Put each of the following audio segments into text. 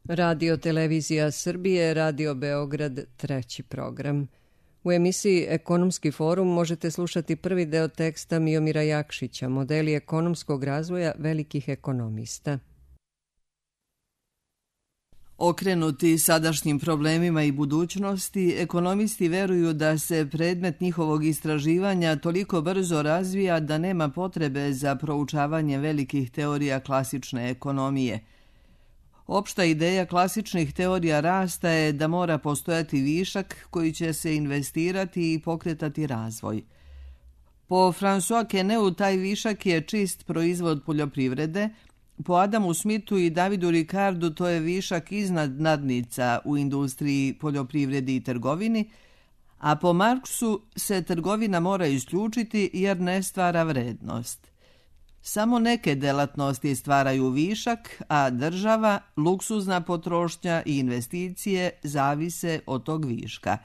Radio Televizija Srbije, Radio Beograd, treći program. U emisiji Ekonomski forum možete slušati prvi deo teksta Miomira Jakšića, modeli ekonomskog razvoja velikih ekonomista. Okrenuti sadašnjim problemima i budućnosti, ekonomisti veruju da se predmet njihovog istraživanja toliko brzo razvija da nema potrebe za proučavanje velikih teorija klasične ekonomije. Opšta ideja klasičnih teorija rasta je da mora postojati višak koji će se investirati i pokretati razvoj. Po François Quesnelu taj višak je čist proizvod poljoprivrede, po Adamu Smithu i Davidu Ricardu to je višak iznad nadnica u industriji, poljoprivredi i trgovini, a po Marksu se trgovina mora isključiti jer ne stvara vrednost. Samo neke delatnosti stvaraju višak, a država, luksuzna potrošnja i investicije zavise od tog viška.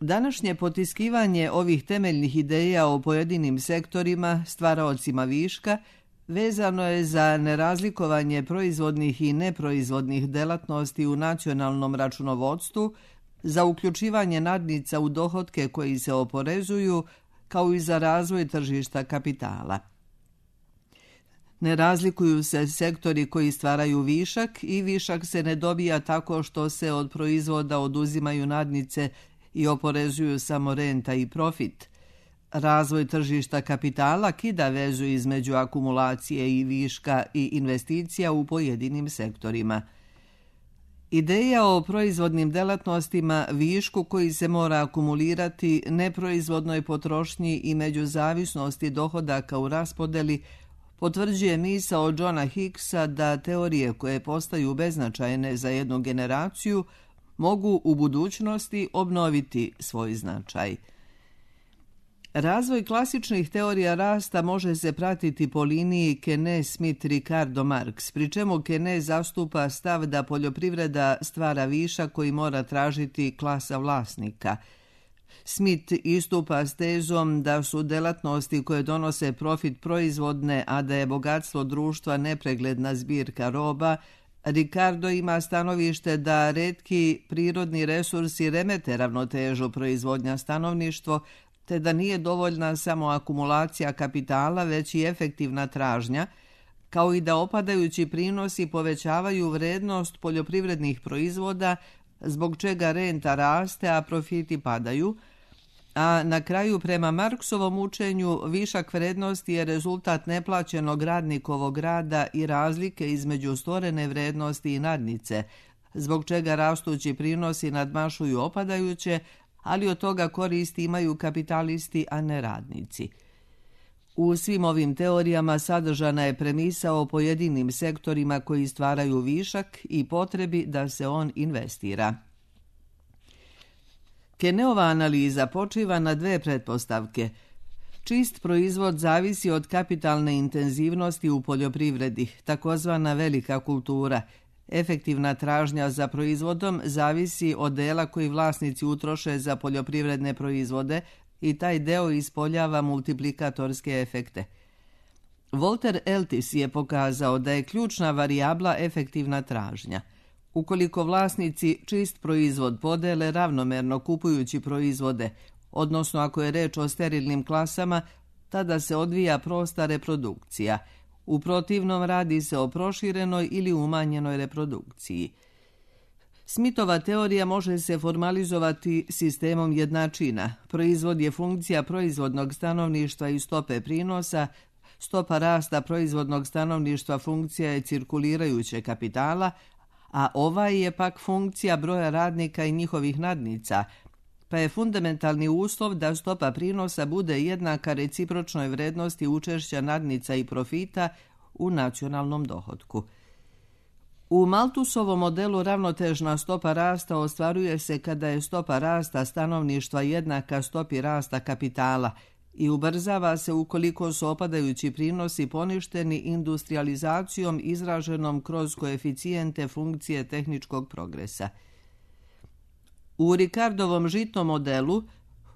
Današnje potiskivanje ovih temeljnih ideja o pojedinim sektorima, stvaraocima viška, vezano je za nerazlikovanje proizvodnih i neproizvodnih delatnosti u nacionalnom računovodstvu, za uključivanje nadnica u dohotke koji se oporezuju, kao i za razvoj tržišta kapitala. Ne razlikuju se sektori koji stvaraju višak i višak se ne dobija tako što se od proizvoda oduzimaju nadnice i oporezuju samo renta i profit. Razvoj tržišta kapitala kida vezu između akumulacije i viška i investicija u pojedinim sektorima. Ideja o proizvodnim delatnostima, višku koji se mora akumulirati, neproizvodnoj potrošnji i međuzavisnosti dohodaka u raspodeli potvrđuje misao Johna Hicksa da teorije koje postaju beznačajne za jednu generaciju mogu u budućnosti obnoviti svoj značaj. Razvoj klasičnih teorija rasta može se pratiti po liniji Quesnel-Smith-Ricardo-Marx, pri čemu Quesnel zastupa stav da poljoprivreda stvara višak koji mora tražiti klasa vlasnika. Smith istupa s tezom da su delatnosti koje donose profit proizvodne, a da je bogatstvo društva nepregledna zbirka roba. Ricardo ima stanovište da retki prirodni resursi remete ravnotežu proizvodnja stanovništvo, te da nije dovoljna samo akumulacija kapitala, već i efektivna tražnja, kao i da opadajući prinosi povećavaju vrednost poljoprivrednih proizvoda, zbog čega renta raste, a profiti padaju, a na kraju prema Marksovom učenju višak vrednosti je rezultat neplaćenog radnikovog rada i razlike između stvorene vrednosti i nadnice, zbog čega rastući prinosi nadmašuju opadajuće, ali od toga koristi imaju kapitalisti, a ne radnici. U svim ovim teorijama sadržana je premisa o pojedinim sektorima koji stvaraju višak i potrebi da se on investira. Quesnelova analiza počiva na dve pretpostavke. Čist proizvod zavisi od kapitalne intenzivnosti u poljoprivredi, takozvana velika kultura. Efektivna tražnja za proizvodom zavisi od dela koji vlasnici utroše za poljoprivredne proizvode i taj deo ispoljava multiplikatorske efekte. Walter Eltis je pokazao da je ključna varijabla efektivna tražnja. Ukoliko vlasnici čist proizvod podele ravnomerno kupujući proizvode, odnosno ako je reč o sterilnim klasama, tada se odvija prosta reprodukcija. U protivnom radi se o proširenoj ili umanjenoj reprodukciji. Smithova teorija može se formalizovati sistemom jednačina. Proizvod je funkcija proizvodnog stanovništva i stope prinosa, stopa rasta proizvodnog stanovništva funkcija je cirkulirajuće kapitala, a ovaj je pak funkcija broja radnika i njihovih nadnica, pa je fundamentalni uslov da stopa prinosa bude jednaka recipročnoj vrednosti učešća nadnica i profita u nacionalnom dohotku. U Malthusovom modelu ravnotežna stopa rasta ostvaruje se kada je stopa rasta stanovništva jednaka stopi rasta kapitala i ubrzava se ukoliko su opadajući prinosi poništeni industrializacijom izraženom kroz koeficijente funkcije tehničkog progresa. U Ricardovom žitnom modelu,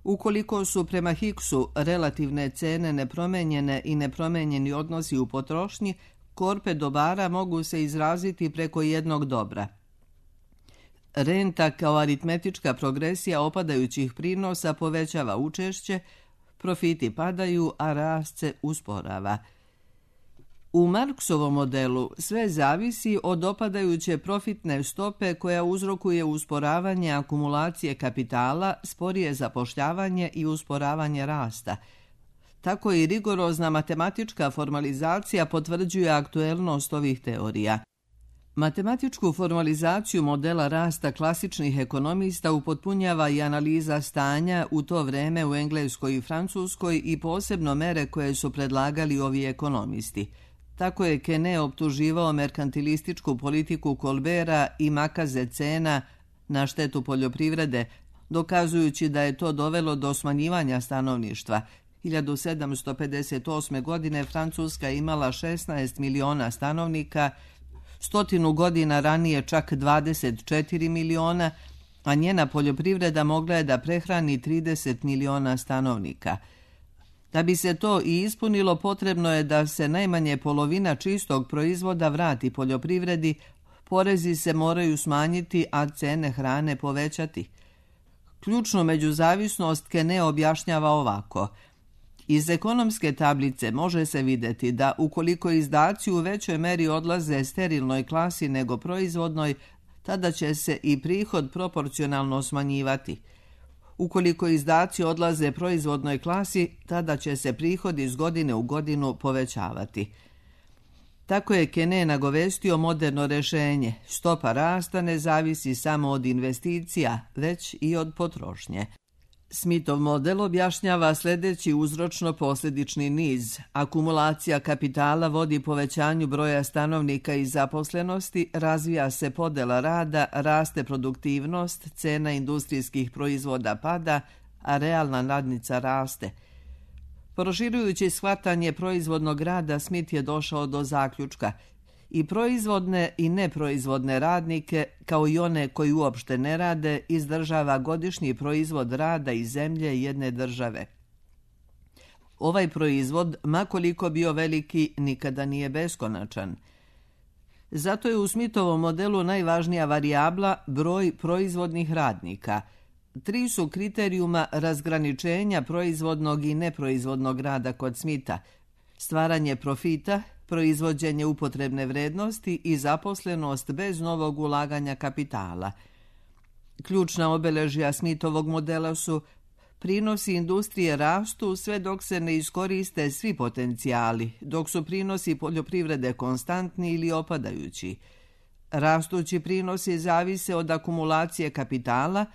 ukoliko su prema Hicksu relativne cene nepromenjene i nepromenjeni odnosi u potrošnji, Korpe dobara mogu se izraziti preko jednog dobra. Renta kao aritmetička progresija opadajućih prinosa povećava učešće, profiti padaju, a rast se usporava. U Marksovom modelu sve zavisi od opadajuće profitne stope koja uzrokuje usporavanje akumulacije kapitala, sporije zapošljavanje i usporavanje rasta. Tako i rigorozna matematička formalizacija potvrđuje aktuelnost ovih teorija. Matematičku formalizaciju modela rasta klasičnih ekonomista upotpunjava i analiza stanja u to vreme u Engleskoj i Francuskoj i posebno mere koje su predlagali ovi ekonomisti. Tako je Kene optuživao merkantilističku politiku Colberta i makaze cena na štetu poljoprivrede, dokazujući da je to dovelo do smanjivanja stanovništva. 1758. godine Francuska imala 16 miliona stanovnika, 100 godina ranije čak 24 miliona, a njena poljoprivreda mogla je da prehrani 30 miliona stanovnika. Da bi se to i ispunilo, potrebno je da se najmanje polovina čistog proizvoda vrati poljoprivredi, porezi se moraju smanjiti, a cene hrane povećati. Ključnu međuzavisnost Kene objašnjava ovako. Iz ekonomske tablice može se vidjeti da ukoliko izdaci u većoj meri odlaze sterilnoj klasi nego proizvodnoj, tada će se i prihod proporcionalno smanjivati. Ukoliko izdaci odlaze proizvodnoj klasi, tada će se prihod iz godine u godinu povećavati. Tako je Kene nagovestio moderno rješenje. Stopa rasta ne zavisi samo od investicija, već i od potrošnje. Smithov model objašnjava sljedeći uzročno-posljedični niz. Akumulacija kapitala vodi povećanju broja stanovnika i zaposlenosti, razvija se podela rada, raste produktivnost, cena industrijskih proizvoda pada, a realna nadnica raste. Proširujući shvatanje proizvodnog rada, Smith je došao do zaključka. I proizvodne i neproizvodne radnike, kao i one koji uopšte ne rade, izdržava godišnji proizvod rada i zemlje jedne države. Ovaj proizvod, ma koliko bio veliki, nikada nije beskonačan. Zato je u Smithovom modelu najvažnija varijabla broj proizvodnih radnika. 3 su kriterijuma razgraničenja proizvodnog i neproizvodnog rada kod Smitha: stvaranje profita, proizvođenje upotrebne vrednosti i zaposlenost bez novog ulaganja kapitala. Ključna obeležja Smithovog modela su: prinosi industrije rastu sve dok se ne iskoriste svi potencijali, dok su prinosi poljoprivrede konstantni ili opadajući. Rastući prinosi zavise od akumulacije kapitala,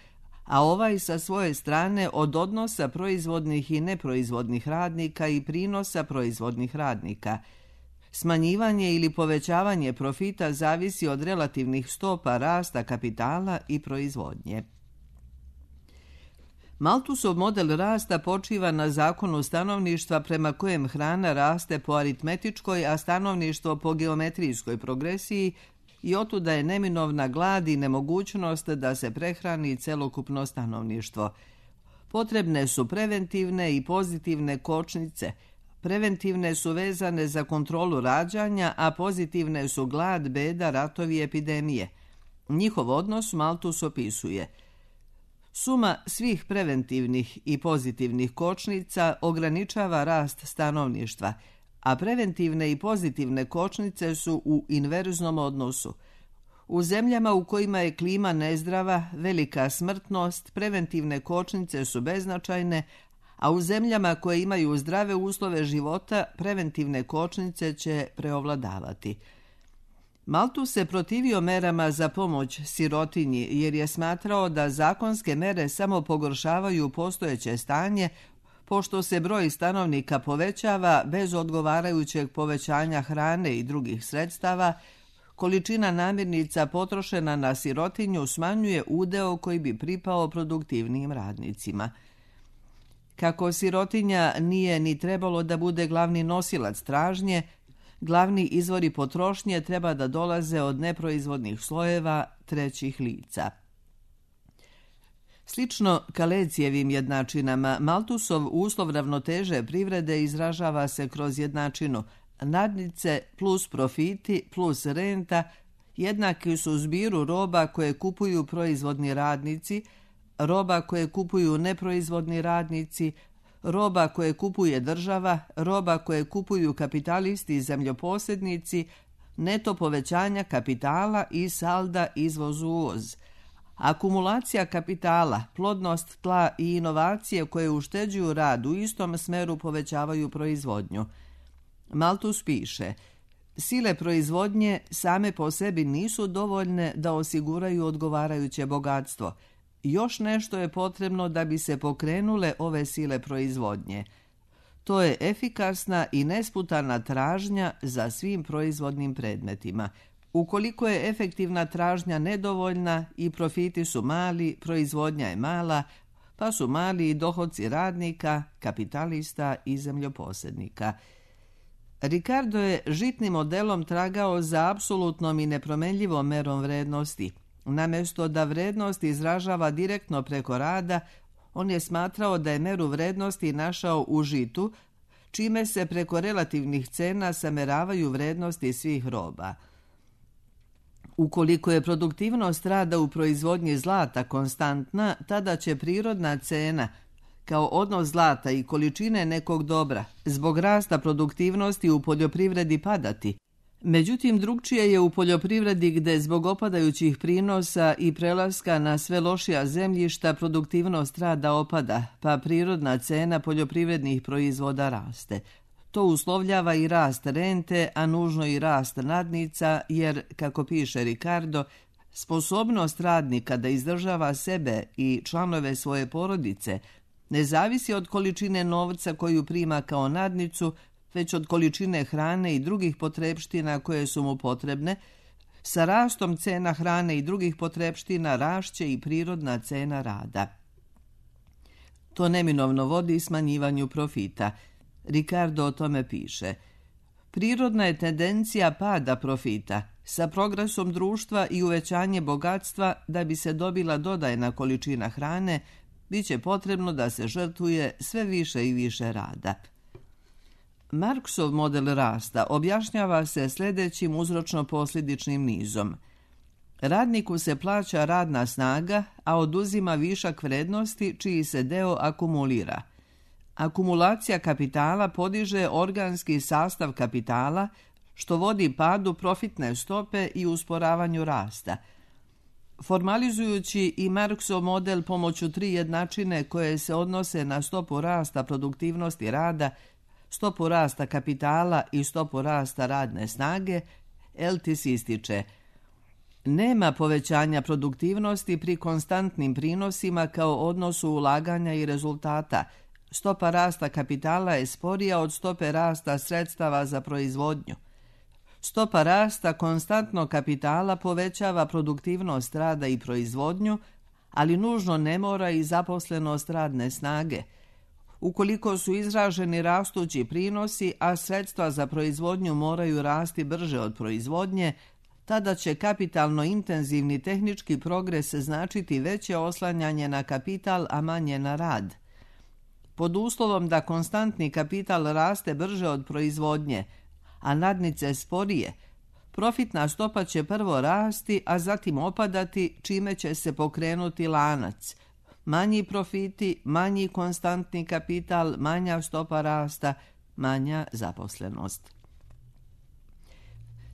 a ovaj sa svoje strane od odnosa proizvodnih i neproizvodnih radnika i prinosa proizvodnih radnika. Smanjivanje ili povećavanje profita zavisi od relativnih stopa rasta kapitala i proizvodnje. Malthusov model rasta počiva na zakonu stanovništva prema kojem hrana raste po aritmetičkoj, a stanovništvo po geometrijskoj progresiji, i otuda je neminovna glad i nemogućnost da se prehrani celokupno stanovništvo. Potrebne su preventivne i pozitivne kočnice. Preventivne su vezane za kontrolu rađanja, a pozitivne su glad, beda, ratovi i epidemije. Njihov odnos Malthus opisuje: suma svih preventivnih i pozitivnih kočnica ograničava rast stanovništva, a preventivne i pozitivne kočnice su u inverznom odnosu. U zemljama u kojima je klima nezdrava, velika smrtnost, preventivne kočnice su beznačajne, a u zemljama koje imaju zdrave uslove života, preventivne kočnice će preovladavati. Malthus se protivio merama za pomoć sirotinji jer je smatrao da zakonske mere samo pogoršavaju postojeće stanje, pošto se broj stanovnika povećava bez odgovarajućeg povećanja hrane i drugih sredstava. Količina namirnica potrošena na sirotinju smanjuje udeo koji bi pripao produktivnim radnicima. Kako sirotinja nije ni trebalo da bude glavni nosilac tražnje, glavni izvori potrošnje treba da dolaze od neproizvodnih slojeva trećih lica. Slično Kalecijevim jednačinama, Malthusov uslov ravnoteže privrede izražava se kroz jednačinu: Nadnice plus profiti plus renta jednaki su zbiru roba koje kupuju proizvodni radnici, roba koje kupuju neproizvodni radnici, roba koje kupuje država, roba koje kupuju kapitalisti i zemljoposjednici, neto povećanja kapitala i salda izvoz-uvoz. Akumulacija kapitala, plodnost tla i inovacije koje ušteđuju rad u istom smeru povećavaju proizvodnju. Malthus piše: sile proizvodnje same po sebi nisu dovoljne da osiguraju odgovarajuće bogatstvo. Još nešto je potrebno da bi se pokrenule ove sile proizvodnje. To je efikasna i nesputana tražnja za svim proizvodnim predmetima. Ukoliko je efektivna tražnja nedovoljna i profiti su mali, proizvodnja je mala, pa su mali i dohodci radnika, kapitalista i zemljoposjednika. Ricardo je žitnim modelom tragao za apsolutnom i nepromenljivom merom vrednosti. Namjesto da vrednost izražava direktno preko rada, on je smatrao da je meru vrednosti našao u žitu, čime se preko relativnih cena sameravaju vrednosti svih roba. Ukoliko je produktivnost rada u proizvodnji zlata konstantna, tada će prirodna cena, kao odnos zlata i količine nekog dobra, zbog rasta produktivnosti u poljoprivredi padati. Međutim, drugčije je u poljoprivredi gde zbog opadajućih prinosa i prelaska na sve lošija zemljišta produktivnost rada opada, pa prirodna cena poljoprivrednih proizvoda raste. To uslovljava i rast rente, a nužno i rast nadnica, jer, kako piše Ricardo, sposobnost radnika da izdržava sebe i članove svoje porodice ne zavisi od količine novca koju prima kao nadnicu, već od količine hrane i drugih potrepština koje su mu potrebne. Sa rastom cena hrane i drugih potrepština rašće i prirodna cena rada. To neminovno vodi smanjivanju profita. Ricardo o tome piše: prirodna je tendencija pada profita. Sa progresom društva i uvećanje bogatstva, da bi se dobila dodajna količina hrane, bit će potrebno da se žrtvuje sve više i više rada. Marksov model rasta objašnjava se sljedećim uzročno-posljedičnim nizom. Radniku se plaća radna snaga, a oduzima višak vrednosti čiji se deo akumulira. Akumulacija kapitala podiže organski sastav kapitala, što vodi padu profitne stope i usporavanju rasta. Formalizujući i Marksov model pomoću 3 jednačine koje se odnose na stopu rasta produktivnosti rada, stopu rasta kapitala i stopu rasta radne snage, Eltis ističe: nema povećanja produktivnosti pri konstantnim prinosima kao odnosu ulaganja i rezultata. Stopa rasta kapitala je sporija od stope rasta sredstava za proizvodnju. Stopa rasta konstantnog kapitala povećava produktivnost rada i proizvodnju, ali nužno ne mora i zaposlenost radne snage. Ukoliko su izraženi rastući prinosi, a sredstva za proizvodnju moraju rasti brže od proizvodnje, tada će kapitalno intenzivni tehnički progres značiti veće oslanjanje na kapital, a manje na rad. Pod uslovom da konstantni kapital raste brže od proizvodnje, a nadnice sporije, profitna stopa će prvo rasti, a zatim opadati, čime će se pokrenuti lanac. Manji profiti, manji konstantni kapital, manja stopa rasta, manja zaposlenost.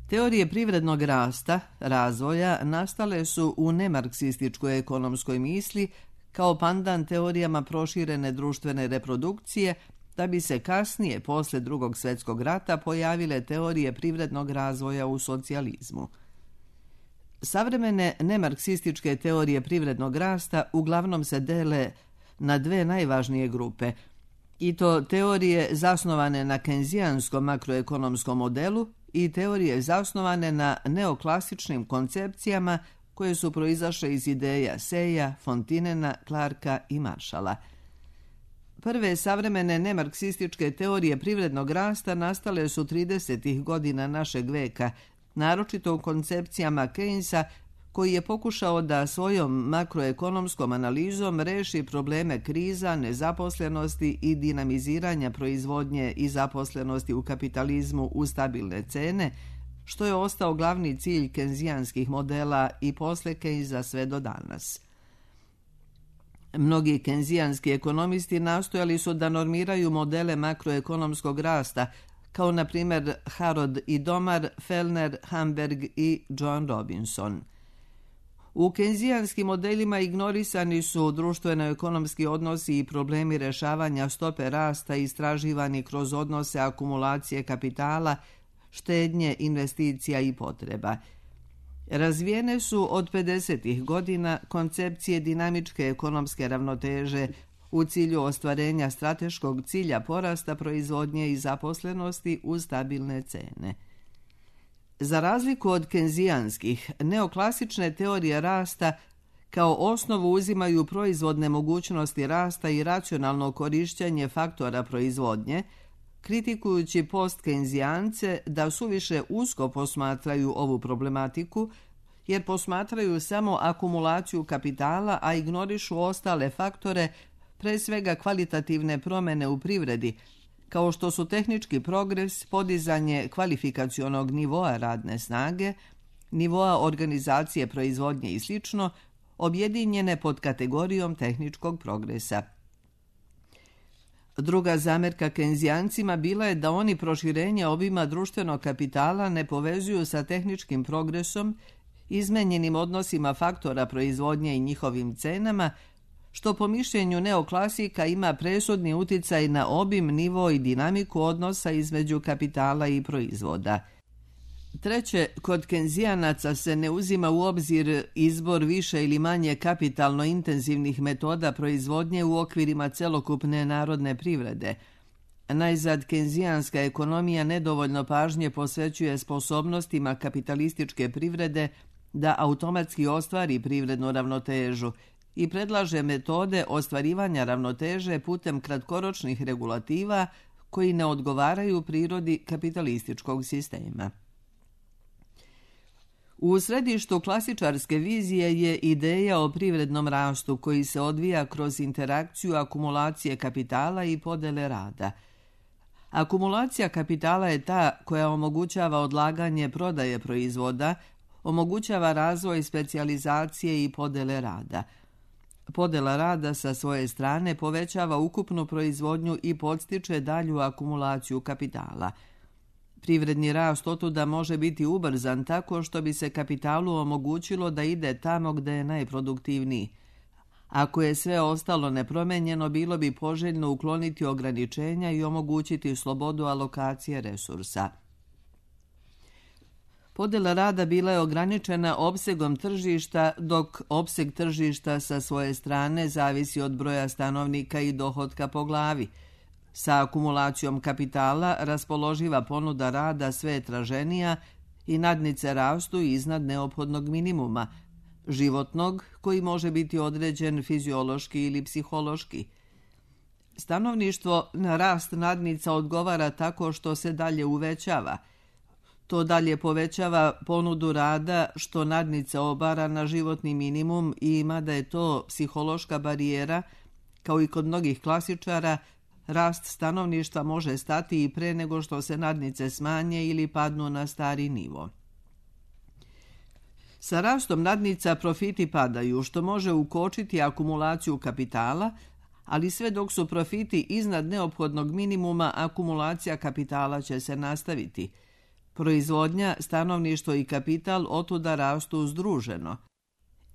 Teorije privrednog rasta, razvoja, nastale su u nemarksističkoj ekonomskoj misli kao pandan teorijama proširene društvene reprodukcije, da bi se kasnije, posle Drugog svjetskog rata, pojavile teorije privrednog razvoja u socijalizmu. Savremene nemarksističke teorije privrednog rasta uglavnom se dele na 2 najvažnije grupe, i to teorije zasnovane na kenzijanskom makroekonomskom modelu i teorije zasnovane na neoklasičnim koncepcijama koje su proizašle iz ideja Seja, Fontinena, Clarka i Marshalla. Prve savremene nemarksističke teorije privrednog rasta nastale su 30. godina našeg veka, naročito u koncepcijama Keynesa, koji je pokušao da svojom makroekonomskom analizom reši probleme kriza, nezaposlenosti i dinamiziranja proizvodnje i zaposlenosti u kapitalizmu u stabilne cene, što je ostao glavni cilj kenzijanskih modela i posle Keynesa sve do danas. Mnogi kenzijanski ekonomisti nastojali su da normiraju modele makroekonomskog rasta, kao na primjer Harrod i Domar, Fellner, Hamberg i John Robinson. U kenzijanskim modelima ignorisani su društveno-ekonomski odnosi i problemi rešavanja stope rasta istraživani kroz odnose akumulacije kapitala, štednje, investicija i potreba. Razvijene su od 50. godina koncepcije dinamičke ekonomske ravnoteže u cilju ostvarenja strateškog cilja porasta proizvodnje i zaposlenosti uz stabilne cene. Za razliku od kenzijanskih, neoklasične teorije rasta kao osnovu uzimaju proizvodne mogućnosti rasta i racionalno korišćenje faktora proizvodnje, kritikujući post-kenzijance da suviše usko posmatraju ovu problematiku, jer posmatraju samo akumulaciju kapitala, a ignorišu ostale faktore, pre svega kvalitativne promene u privredi, kao što su tehnički progres, podizanje kvalifikacionog nivoa radne snage, nivoa organizacije proizvodnje i sl., objedinjene pod kategorijom tehničkog progresa. Druga zamerka kenzijancima bila je da oni proširenje obima društvenog kapitala ne povezuju sa tehničkim progresom, izmenjenim odnosima faktora proizvodnje i njihovim cenama, što po mišljenju neoklasika ima presudni uticaj na obim, nivo i dinamiku odnosa između kapitala i proizvoda. Treće, kod kenzijanaca se ne uzima u obzir izbor više ili manje kapitalno intenzivnih metoda proizvodnje u okvirima celokupne narodne privrede. Najzad, kenzijanska ekonomija nedovoljno pažnje posvećuje sposobnostima kapitalističke privrede da automatski ostvari privrednu ravnotežu i predlaže metode ostvarivanja ravnoteže putem kratkoročnih regulativa koji ne odgovaraju prirodi kapitalističkog sistema. U središtu klasičarske vizije je ideja o privrednom rastu koji se odvija kroz interakciju akumulacije kapitala i podele rada. Akumulacija kapitala je ta koja omogućava odlaganje prodaje proizvoda, omogućava razvoj specijalizacije i podele rada. Podela rada sa svoje strane povećava ukupnu proizvodnju i podstiče dalju akumulaciju kapitala. Privredni rast otuda može biti ubrzan tako što bi se kapitalu omogućilo da ide tamo gde je najproduktivniji. Ako je sve ostalo nepromenjeno, bilo bi poželjno ukloniti ograničenja i omogućiti slobodu alokacije resursa. Podela rada bila je ograničena opsegom tržišta, dok opseg tržišta sa svoje strane zavisi od broja stanovnika i dohotka po glavi. Sa akumulacijom kapitala raspoloživa ponuda rada sve je traženija i nadnice rastu iznad neophodnog minimuma, životnog koji može biti određen fiziološki ili psihološki. Stanovništvo na rast nadnica odgovara tako što se dalje uvećava. To dalje povećava ponudu rada što nadnica obara na životni minimum i mada je to psihološka barijera, kao i kod mnogih klasičara, rast stanovništva može stati i pre nego što se nadnice smanje ili padnu na stari nivo. Sa rastom nadnica profiti padaju, što može ukočiti akumulaciju kapitala, ali sve dok su profiti iznad neophodnog minimuma, akumulacija kapitala će se nastaviti. Proizvodnja, stanovništvo i kapital otuda rastu združeno.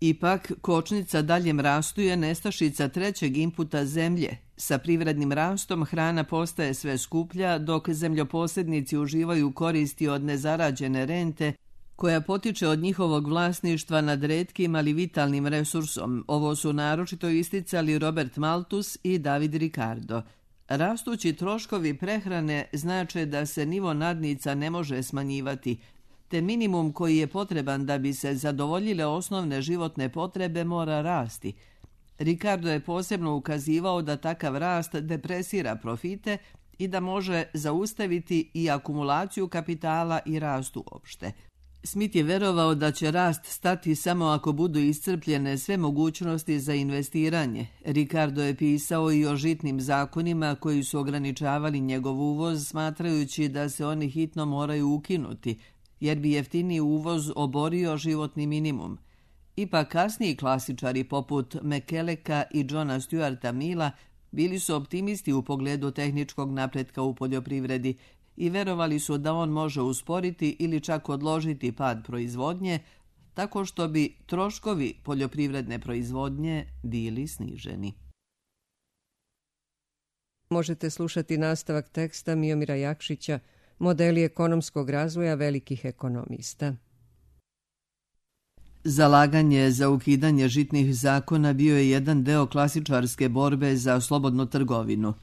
Ipak, kočnica daljem rastu je nestašica trećeg inputa zemlje. Sa privrednim rastom hrana postaje sve skuplja, dok zemljoposjednici uživaju koristi od nezarađene rente, koja potiče od njihovog vlasništva nad retkim, ali vitalnim resursom. Ovo su naročito isticali Robert Malthus i David Ricardo. Rastući troškovi prehrane znače da se nivo nadnica ne može smanjivati, te minimum koji je potreban da bi se zadovoljile osnovne životne potrebe mora rasti. Ricardo je posebno ukazivao da takav rast depresira profite i da može zaustaviti i akumulaciju kapitala i rast uopšte. Smith je verovao da će rast stati samo ako budu iscrpljene sve mogućnosti za investiranje. Ricardo je pisao i o žitnim zakonima koji su ograničavali njegov uvoz, smatrajući da se oni hitno moraju ukinuti, jer bi jeftiniji uvoz oborio životni minimum. Ipak kasniji klasičari poput McKelleka i Johna Stuarta Milla bili su optimisti u pogledu tehničkog napretka u poljoprivredi i verovali su da on može usporiti ili čak odložiti pad proizvodnje, tako što bi troškovi poljoprivredne proizvodnje bili sniženi. Možete slušati nastavak teksta Miomira Jakšića, Modeli ekonomskog razvoja velikih ekonomista. Zalaganje za ukidanje žitnih zakona bio je jedan deo klasičarske borbe za slobodnu trgovinu.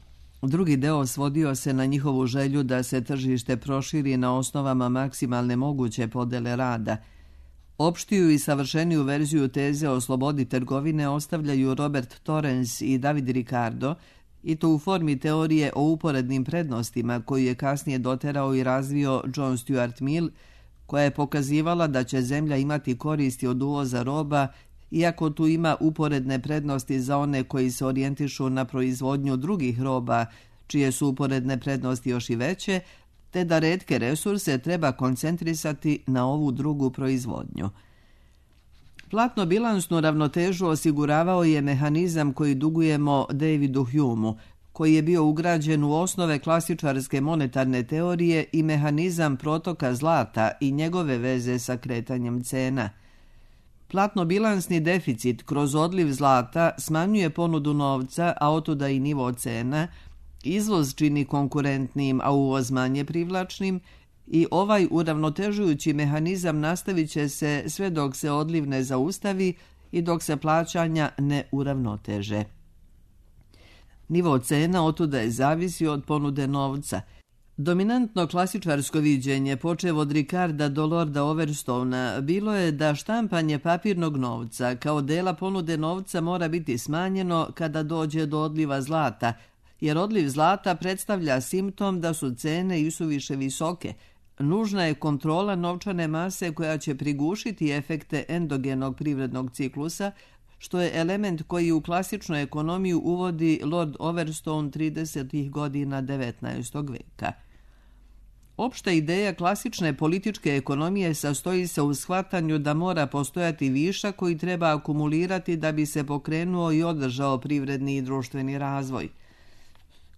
Drugi deo svodio se na njihovu želju da se tržište proširi na osnovama maksimalne moguće podele rada. Opštiju i savršeniju verziju teze o slobodi trgovine ostavljaju Robert Torrens i David Ricardo, i to u formi teorije o uporednim prednostima koju je kasnije doterao i razvio John Stuart Mill, koja je pokazivala da će zemlja imati koristi od uvoza roba, iako tu ima uporedne prednosti za one koji se orijentišu na proizvodnju drugih roba, čije su uporedne prednosti još i veće, te da retke resurse treba koncentrisati na ovu drugu proizvodnju. Platno-bilansnu ravnotežu osiguravao je mehanizam koji dugujemo Davidu Humeu, koji je bio ugrađen u osnove klasičarske monetarne teorije i mehanizam protoka zlata i njegove veze sa kretanjem cena. Platno-bilansni deficit kroz odliv zlata smanjuje ponudu novca, a otuda i nivo cena, izvoz čini konkurentnim, a uvoz manje privlačnim, i ovaj uravnotežujući mehanizam nastavit će se sve dok se odliv ne zaustavi i dok se plaćanja ne uravnoteže. Nivo cena otuda je zavisio od ponude novca. Dominantno klasičarsko viđenje, počev od Ricarda do Lorda Overstona, bilo je da štampanje papirnog novca kao dela ponude novca mora biti smanjeno kada dođe do odliva zlata, jer odliv zlata predstavlja simptom da su cene isuviše visoke. Nužna je kontrola novčane mase koja će prigušiti efekte endogenog privrednog ciklusa, što je element koji u klasičnu ekonomiju uvodi Lord Overstone 30. godina 19. veka. Opšta ideja klasične političke ekonomije sastoji se u shvatanju da mora postojati višak koji treba akumulirati da bi se pokrenuo i održao privredni i društveni razvoj.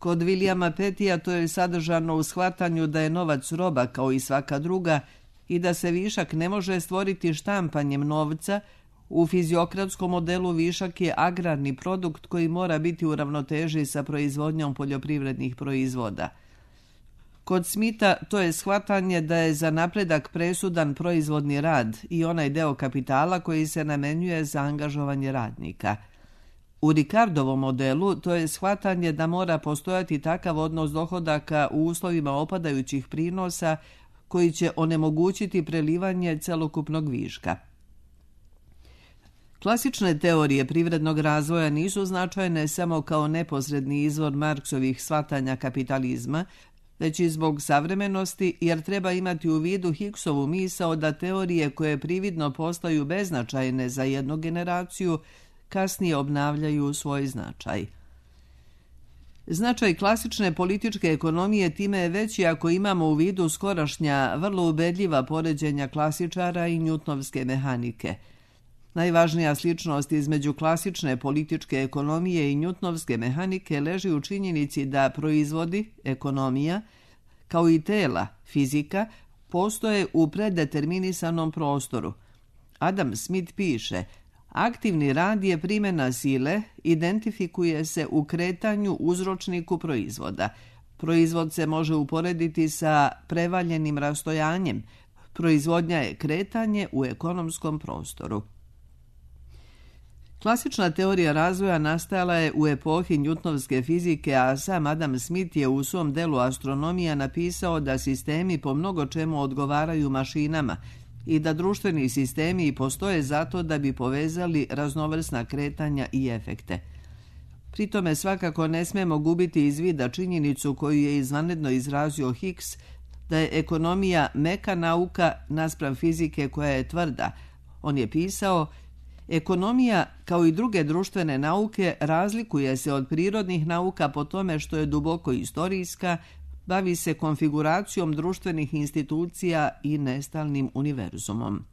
Kod Williama Pettija to je sadržano u shvatanju da je novac roba kao i svaka druga i da se višak ne može stvoriti štampanjem novca. U fiziokratskom modelu višak je agrarni produkt koji mora biti u ravnoteži sa proizvodnjom poljoprivrednih proizvoda. Kod Smitha to je shvatanje da je za napredak presudan proizvodni rad i onaj deo kapitala koji se namenjuje za angažovanje radnika. U Ricardovom modelu to je shvatanje da mora postojati takav odnos dohodaka u uslovima opadajućih prinosa koji će onemogućiti prelivanje celokupnog viška. Klasične teorije privrednog razvoja nisu značajne samo kao neposredni izvor Marksovih shvatanja kapitalizma, već i zbog savremenosti, jer treba imati u vidu Hicksovu misao da teorije koje prividno postaju beznačajne za jednu generaciju kasnije obnavljaju svoj značaj. Značaj klasične političke ekonomije time je veći ako imamo u vidu skorašnja, vrlo ubedljiva poređenja klasičara i njutnovske mehanike. Najvažnija sličnost između klasične političke ekonomije i njutnovske mehanike leži u činjenici da proizvodi, ekonomija, kao i tela, fizika, postoje u predeterminisanom prostoru. Adam Smith piše: aktivni rad je primjena sile, identifikuje se u kretanju uzročniku proizvoda. Proizvod se može uporediti sa prevaljenim rastojanjem. Proizvodnja je kretanje u ekonomskom prostoru. Klasična teorija razvoja nastajala je u epohi njutnovske fizike, a sam Adam Smith je u svom delu Astronomija napisao da sistemi po mnogo čemu odgovaraju mašinama i da društveni sistemi postoje zato da bi povezali raznovrsna kretanja i efekte. Pritome svakako ne smemo gubiti iz vida činjenicu koju je izvanredno izrazio Hicks, da je ekonomija meka nauka naspram fizike koja je tvrda. On je pisao: ekonomija, kao i druge društvene nauke, razlikuje se od prirodnih nauka po tome što je duboko istorijska, bavi se konfiguracijom društvenih institucija i nestalnim univerzumom.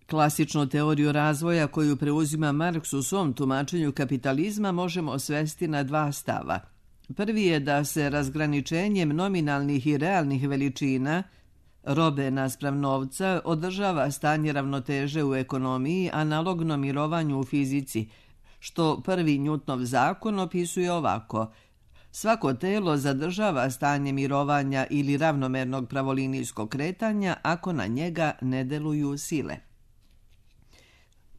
Klasičnu teoriju razvoja koju preuzima Marks u svom tumačenju kapitalizma možemo svesti na dva stava. Prvi je da se razgraničenjem nominalnih i realnih veličina, robe naspram novca, održava stanje ravnoteže u ekonomiji, analogno mirovanju u fizici, što prvi Newtonov zakon opisuje ovako: svako telo zadržava stanje mirovanja ili ravnomernog pravolinijskog kretanja ako na njega ne deluju sile.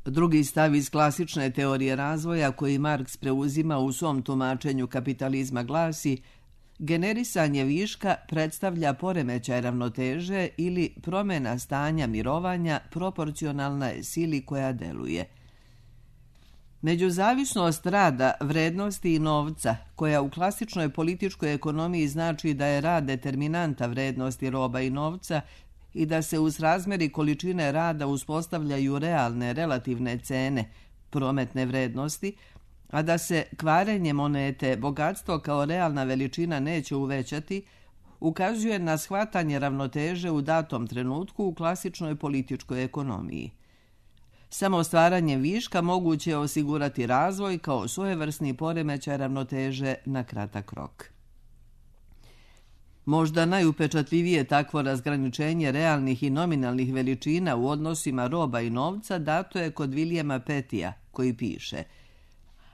Drugi stav iz klasične teorije razvoja koji Marks preuzima u svom tumačenju kapitalizma glasi: generisanje viška predstavlja poremećaj ravnoteže ili promjena stanja mirovanja proporcionalna je sili koja deluje. Međuzavisnost rada, vrednosti i novca, koja u klasičnoj političkoj ekonomiji znači da je rad determinanta vrednosti roba i novca i da se uz razmjeri količine rada uspostavljaju realne relativne cene, prometne vrednosti, a da se kvarenje monete bogatstvo kao realna veličina neće uvećati, ukazuje na shvatanje ravnoteže u datom trenutku u klasičnoj političkoj ekonomiji. Samo stvaranje viška moguće je osigurati razvoj kao svojevrsni poremećaj ravnoteže na kratak rok. Možda najupečatljivije takvo razgraničenje realnih i nominalnih veličina u odnosima roba i novca dato je kod Williama Pettija, koji piše: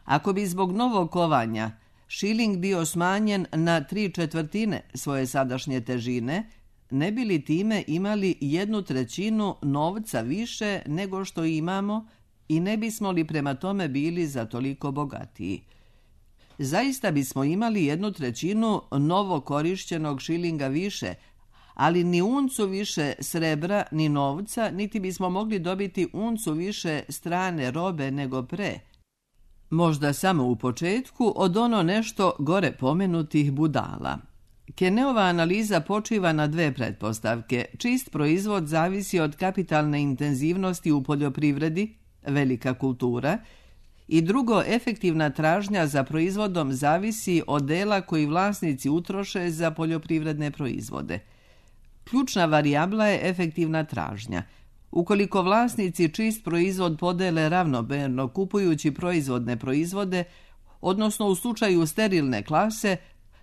ako bi zbog novog kovanja šiling bio smanjen na 3/4 svoje sadašnje težine, ne bi li time imali 1/3 novca više nego što imamo i ne bismo li prema tome bili za toliko bogatiji? Zaista bismo imali 1/3 novo korišćenog šilinga više, ali ni uncu više srebra ni novca, niti bismo mogli dobiti uncu više strane robe nego pre. Možda samo u početku od ono nešto gore pomenutih budala. Kenneova analiza počiva na dve pretpostavke. Čist proizvod zavisi od kapitalne intenzivnosti u poljoprivredi, velika kultura, i drugo, efektivna tražnja za proizvodom zavisi od dela koji vlasnici utroše za poljoprivredne proizvode. Ključna varijabla je efektivna tražnja. Ukoliko vlasnici čist proizvod podele ravnomerno kupujući proizvodne proizvode, odnosno u slučaju sterilne klase,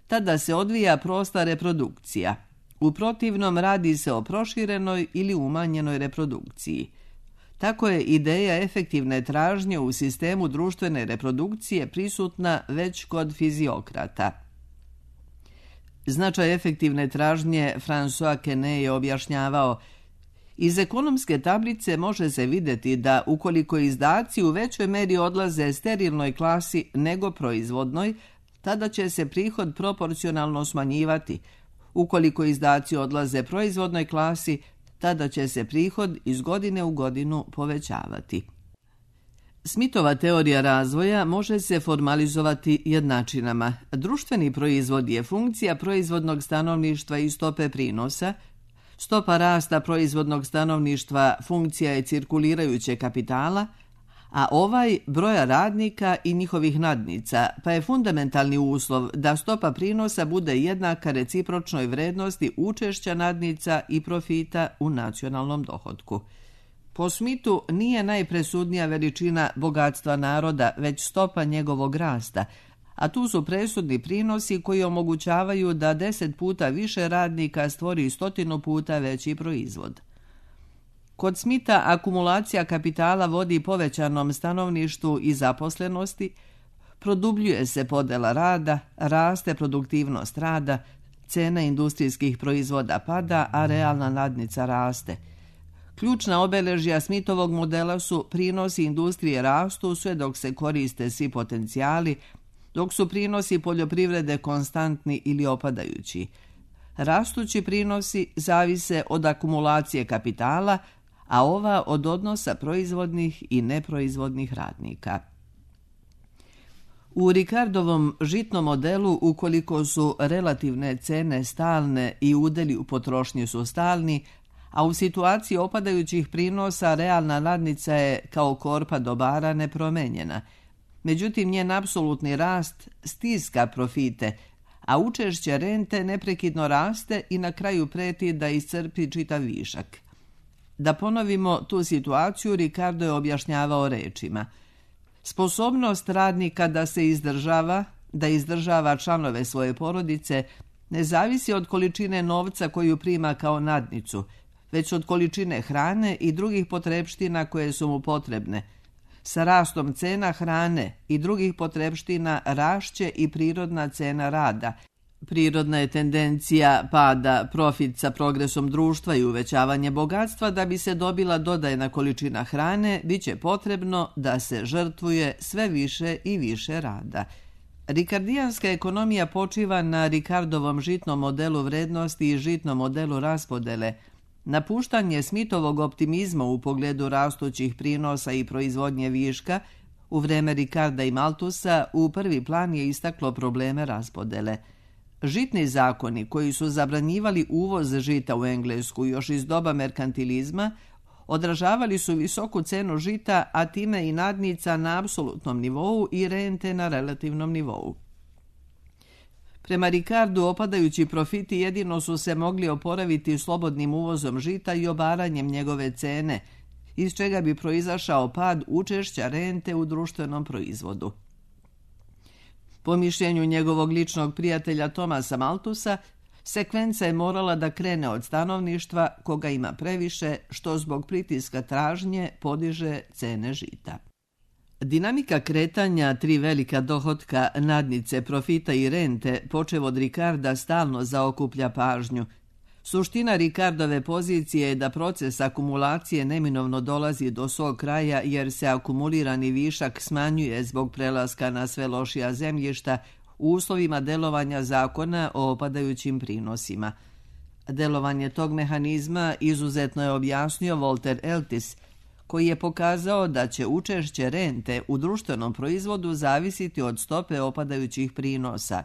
tada se odvija prosta reprodukcija. U protivnom radi se o proširenoj ili umanjenoj reprodukciji. Tako je ideja efektivne tražnje u sistemu društvene reprodukcije prisutna već kod fiziokrata. Značaj efektivne tražnje François Quesnay je objašnjavao: iz ekonomske tablice može se vidjeti da ukoliko izdaci u većoj meri odlaze sterilnoj klasi nego proizvodnoj, tada će se prihod proporcionalno smanjivati. Ukoliko izdaci odlaze proizvodnoj klasi, tada će se prihod iz godine u godinu povećavati. Smithova teorija razvoja može se formalizovati jednačinama. Društveni proizvod je funkcija proizvodnog stanovništva i stope prinosa. Stopa rasta proizvodnog stanovništva funkcija je cirkulirajućeg kapitala, a ovaj broja radnika i njihovih nadnica, pa je fundamentalni uslov da stopa prinosa bude jednaka recipročnoj vrednosti učešća nadnica i profita u nacionalnom dohotku. Po Smithu nije najpresudnija veličina bogatstva naroda, već stopa njegovog rasta, a tu su presudni prinosi koji omogućavaju da 10 puta više radnika stvori 100 puta veći proizvod. Kod Smitha akumulacija kapitala vodi povećanom stanovništvu i zaposlenosti, produbljuje se podela rada, raste produktivnost rada, cena industrijskih proizvoda pada, a realna nadnica raste. Ključna obeležja Smithovog modela su prinosi industrije rastu sve dok se koriste svi potencijali, dok su prinosi poljoprivrede konstantni ili opadajući. Rastući prinosi zavise od akumulacije kapitala, a ova od odnosa proizvodnih i neproizvodnih radnika. U Ricardovom žitnom modelu, ukoliko su relativne cene stalne i udjeli u potrošnji su stalni, a u situaciji opadajućih prinosa realna nadnica je kao korpa dobara nepromenjena. Međutim, njen apsolutni rast stiska profite, a učešće rente neprekidno raste i na kraju preti da iscrpi čitav višak. Da ponovimo tu situaciju, Ricardo je objašnjavao rečima: sposobnost radnika da se izdržava, da izdržava članove svoje porodice, ne zavisi od količine novca koju prima kao nadnicu, već od količine hrane i drugih potrepština koje su mu potrebne. Sa rastom cena hrane i drugih potrepština rašće i prirodna cena rada. Prirodna je tendencija pada profit sa progresom društva i uvećavanje bogatstva. Da bi se dobila dodajna količina hrane, bit će potrebno da se žrtvuje sve više i više rada. Rikardijanska ekonomija počiva na Ricardovom žitnom modelu vrednosti i žitnom modelu raspodele. Napuštanje Smithovog optimizma u pogledu rastućih prinosa i proizvodnje viška u vreme Ricarda i Malthusa u prvi plan je istaklo probleme raspodele. Žitni zakoni koji su zabranjivali uvoz žita u Englesku još iz doba merkantilizma odražavali su visoku cenu žita, a time i nadnica na apsolutnom nivou i rente na relativnom nivou. Prema Ricardu, opadajući profiti jedino su se mogli oporaviti slobodnim uvozom žita i obaranjem njegove cene, iz čega bi proizašao pad učešća rente u društvenom proizvodu. Po mišljenju njegovog ličnog prijatelja Thomasa Malthusa, sekvenca je morala da krene od stanovništva koga ima previše, što zbog pritiska tražnje podiže cene žita. Dinamika kretanja tri velika dohotka, nadnice, profita i rente, počev od Ricarda, stalno zaokuplja pažnju. Suština Ricardove pozicije je da proces akumulacije neminovno dolazi do svog kraja jer se akumulirani višak smanjuje zbog prelaska na sve lošija zemljišta u uslovima delovanja zakona o opadajućim prinosima. Delovanje tog mehanizma izuzetno je objasnio Walter Eltis, koji je pokazao da će učešće rente u društvenom proizvodu zavisiti od stope opadajućih prinosa.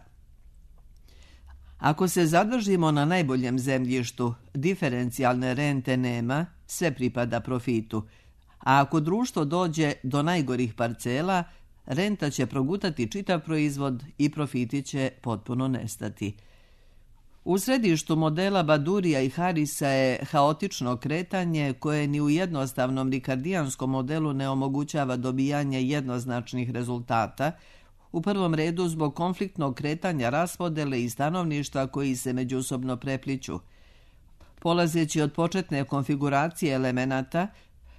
Ako se zadržimo na najboljem zemljištu, diferencijalne rente nema, sve pripada profitu, a ako društvo dođe do najgorih parcela, renta će progutati čitav proizvod i profiti će potpuno nestati. U središtu modela Badurija i Harrisa je haotično kretanje koje ni u jednostavnom rikardijanskom modelu ne omogućava dobijanje jednoznačnih rezultata, u prvom redu zbog konfliktnog kretanja raspodele i stanovništva koji se međusobno prepliću. Polazeći od početne konfiguracije elemenata,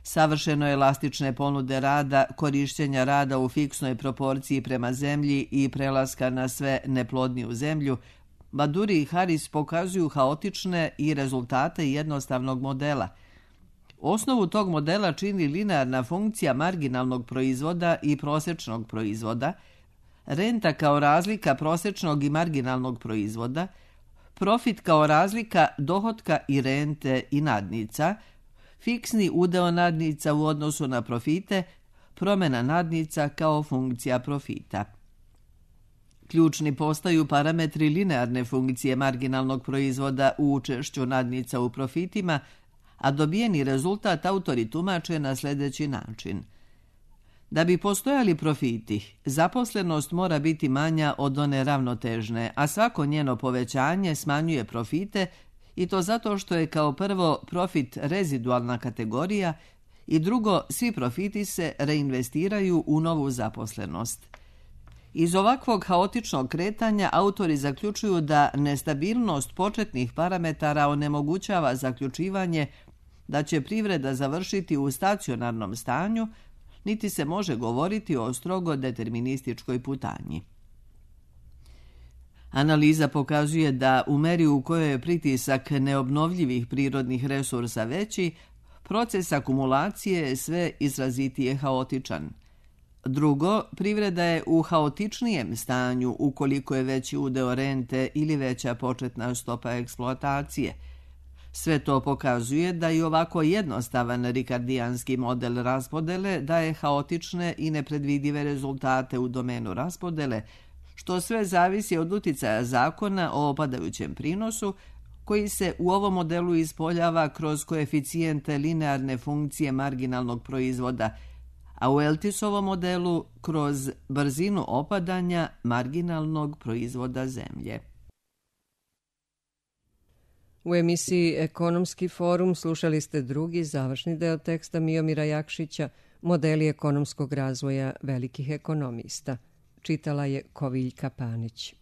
savršeno elastične ponude rada, korišćenja rada u fiksnoj proporciji prema zemlji i prelaska na sve neplodniju zemlju, Baduri i Harris pokazuju haotične i rezultate jednostavnog modela. Osnovu tog modela čini linearna funkcija marginalnog proizvoda i prosječnog proizvoda, renta kao razlika prosječnog i marginalnog proizvoda, profit kao razlika dohotka i rente i nadnica, fiksni udeo nadnica u odnosu na profite, promjena nadnica kao funkcija profita. Ključni postaju parametri linearne funkcije marginalnog proizvoda u učešću nadnica u profitima, a dobijeni rezultat autori tumače na sljedeći način. Da bi postojali profiti, zaposlenost mora biti manja od one ravnotežne, a svako njeno povećanje smanjuje profite i to zato što je kao prvo profit rezidualna kategorija i drugo, svi profiti se reinvestiraju u novu zaposlenost. Iz ovakvog haotičnog kretanja autori zaključuju da nestabilnost početnih parametara onemogućava zaključivanje da će privreda završiti u stacionarnom stanju, niti se može govoriti o strogo determinističkoj putanji. Analiza pokazuje da u meri u kojoj je pritisak neobnovljivih prirodnih resursa veći, proces akumulacije je sve izrazitije haotičan. Drugo, privreda je u haotičnijem stanju ukoliko je veći udeo rente ili veća početna stopa eksploatacije. Sve to pokazuje da i ovako jednostavan rikardijanski model raspodele daje haotične i nepredvidive rezultate u domenu raspodele, što sve zavisi od uticaja zakona o opadajućem prinosu, koji se u ovom modelu ispoljava kroz koeficijente linearne funkcije marginalnog proizvoda, a u Eltisovom modelu kroz brzinu opadanja marginalnog proizvoda zemlje. U emisiji Ekonomski forum slušali ste drugi završni deo teksta Miomira Jakšića Modeli ekonomskog razvoja velikih ekonomista. Čitala je Koviljka Panić.